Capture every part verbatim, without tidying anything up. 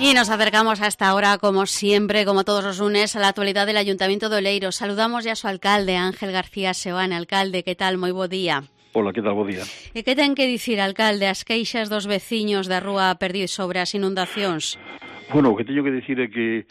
Y nos acercamos hasta ahora, como siempre, como todos los lunes, a la actualidad del Ayuntamiento de Oleiros. Saludamos ya a su alcalde, Ángel García Seoane. Alcalde, que tal? Moi bo día. Hola, que tal? Bo día. E que ten que dicir, alcalde, as queixas dos veciños da Rúa Perdiz sobre as inundacións? Bueno, o que teño que dicir é que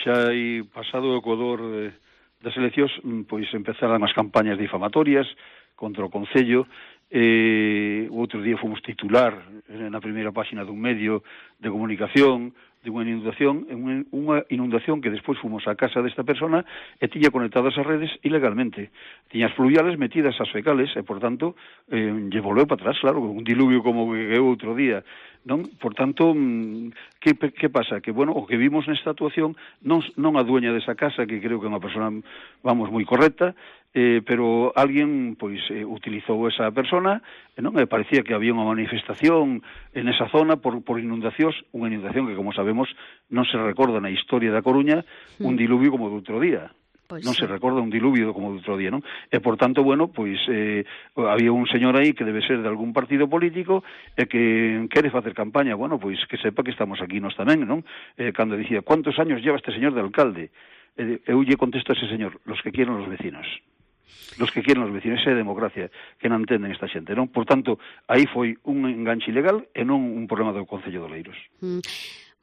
xa hai pasado o ecuador eh, das eleccións, pois empezaran as campañas difamatorias contra o Concello. Eh, o outro día fomos titular na primeira páxina dun medio de comunicación de unha inundación, unha inundación que despois fomos á casa desta persona e tiña conectadas as redes ilegalmente. Tiña as fluviales metidas as fecales e, por tanto, eh, lle volveu para atrás, claro, un diluvio como que o outro día, non? Por tanto, que, que pasa? Que, bueno, o que vimos nesta actuación non, non a dueña desa casa, que creo que é unha persona, vamos, moi correcta, eh, pero alguén, pois, eh, utilizou esa persona, e non e parecía que había unha manifestación en esa zona por, por inundacións, unha inundación que, como sabemos, non se recorda na historia da Coruña un diluvio como do outro día. Pois non sí. Se recorda un diluvio como do outro día, non? E, por tanto, bueno, pois eh, había un señor aí que debe ser de algún partido político e que quere facer campaña, bueno, pois que sepa que estamos aquí nós tamén, non? Eh, cando dicía, ¿cuántos años lleva este señor de alcalde? Eh, eu lle contesto a ese señor, los que quieren los vecinos. Los que quieren los vecinos, esa é a democracia que non entenden esta xente, non? Por tanto, aí foi un enganche ilegal e non un problema do Concello de Oleiros. Mm.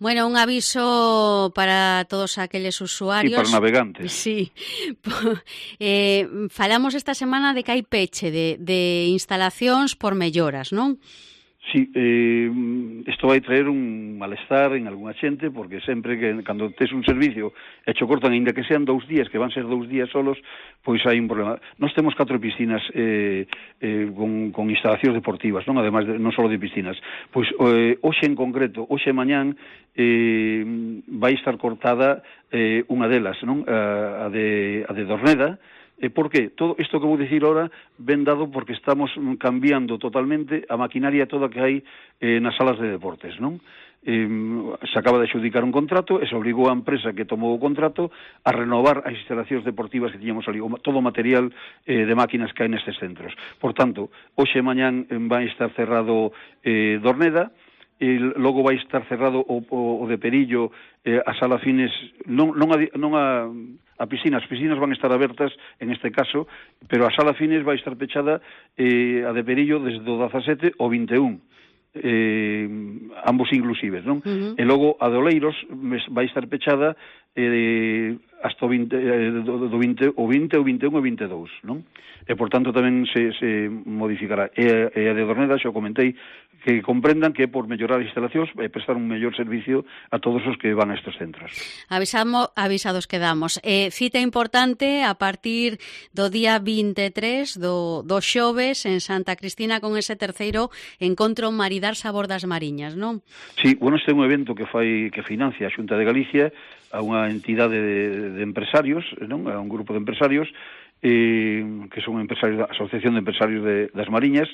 Bueno, un aviso para todos aqueles usuarios. Sí, para navegantes. Sí. eh, falamos esta semana de que hai peche de, de instalacións por melloras, non? Sí, eh, isto vai traer un malestar en algunha xente, porque sempre que cando tes un servicio e cho cortan, ainda que sean dous días, que van ser dous días solos, pois hai un problema. Nós temos catro piscinas eh, eh, con, con instalacións deportivas, non? Ademais, de, non só de piscinas. Pois eh, hoxe en concreto, hoxe e mañán, eh, vai estar cortada eh, unha delas, non? A, a, de, a de Dorneda. E por qué? Todo isto que vou dicir ahora ven dado porque estamos cambiando totalmente a maquinaria toda que hai eh, nas salas de deportes, non? Eh, se acaba de adxudicar un contrato e se obrigou a empresa que tomou o contrato a renovar as instalacións deportivas que tiñamos ali, todo o material eh, de máquinas que hai nestes centros. Por tanto, hoxe e mañán vai estar cerrado eh, Dorneda, e logo vai estar cerrado o, o, o de Perillo, eh, a sala Fines, non, non, a, non a, a piscina, as piscinas van estar abertas en este caso, pero a sala Fines vai estar pechada, eh, a de Perillo desde o dezasete ao vinte e un, eh, ambos inclusives, non? Uh-huh. E logo a de Oleiros vai estar pechada eh, hasta o vinte, eh, do, do vinte, o vinte, o vinte e un e o vinte e dous, non? E, por tanto, tamén se, se modificará. E, e a de Dorneda, xa comentei, que comprendan que é por mellorar as instalacións e prestar un mellor servicio a todos os que van a estes centros. Avisamos, avisados quedamos. Eh, cita importante a partir do día vinte e tres do, do xoves en Santa Cristina con ese terceiro encontro Maridar Sabor das Mariñas, non? Sí, bueno, este é un evento que fai que financia a Xunta de Galicia a unha entidade de, de empresarios, non? A un grupo de empresarios eh, que son empresarios da Asociación de Empresarios de, das Mariñas.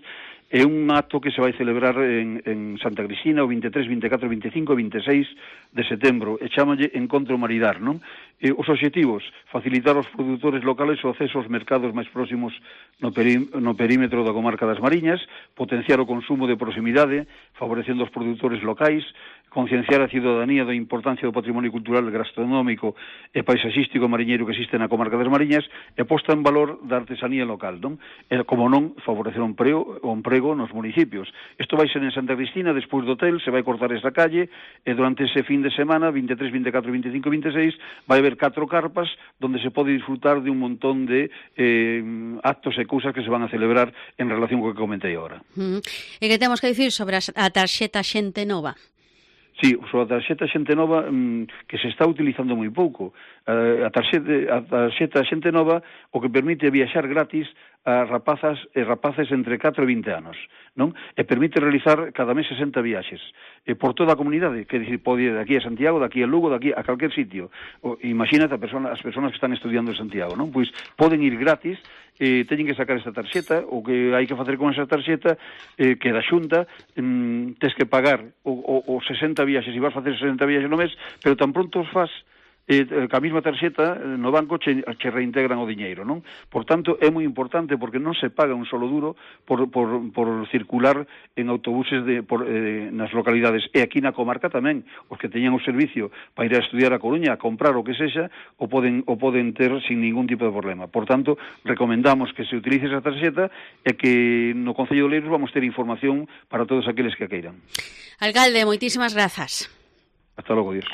É un acto que se vai celebrar en, en Santa Cristina o vinte e tres, vinte e catro, vinte e cinco e vinte e seis de setembro, e chámalle Encontro Maridar, non? E os obxectivos, facilitar aos produtores locales o acceso aos mercados máis próximos no, peri, no perímetro da comarca das Mariñas, potenciar o consumo de proximidade, favorecendo os produtores locais, concienciar a ciudadanía da importancia do patrimonio cultural, gastronómico e paisaxístico mariñeiro que existe na comarca das Mariñas, e posta en valor da artesanía local, non? E, como non, favorecer o emprego, o emprego nos municipios. Isto vai ser en Santa Cristina, despois do hotel, se vai cortar esta calle, e durante ese fin de semana, vinte e tres, vinte e catro, vinte e cinco e vinte e seis, vai haber catro carpas onde se pode disfrutar de un montón de eh, actos e cousas que se van a celebrar en relación co que comentei agora. Uh-huh. E que temos que dicir sobre a tarxeta Xente Nova? Sí, sobre a tarxeta Xente Nova, mmm, que se está utilizando moi pouco. Uh, a tarxeta, a tarxeta Xente Nova o que permite viaxar gratis a rapazas e rapaces entre catro e vinte anos, non? E permite realizar cada mes sesenta viaxes e por toda a comunidade, que dicir, pode ir de aquí a Santiago, de aquí a Lugo, de aquí a calquer sitio. O, imagínate a persona, as persoas que están estudiando en Santiago, non? Pois poden ir gratis, eh, teñen que sacar esta tarxeta, o que hai que facer con esa tarxeta, eh, que da Xunta, mm, tes que pagar o, o, o sesenta viaxes, e vas facer sesenta viaxes no mes, pero tan pronto os faz, eh, ca mesma tarxeta no banco che, che reintegran o diñeiro, non? Por tanto, é moi importante porque non se paga un solo duro por, por, por circular en autobuses de, por, eh, nas localidades. E aquí na comarca tamén, os que teñan o servicio para ir a estudiar a Coruña, a comprar o que sexa, o poden, o poden ter sin ningún tipo de problema. Por tanto, recomendamos que se utilice esa tarxeta e que no Concello de Oleiros vamos ter información para todos aqueles que a queiran. Alcalde, moitísimas grazas. Hasta logo, Dios.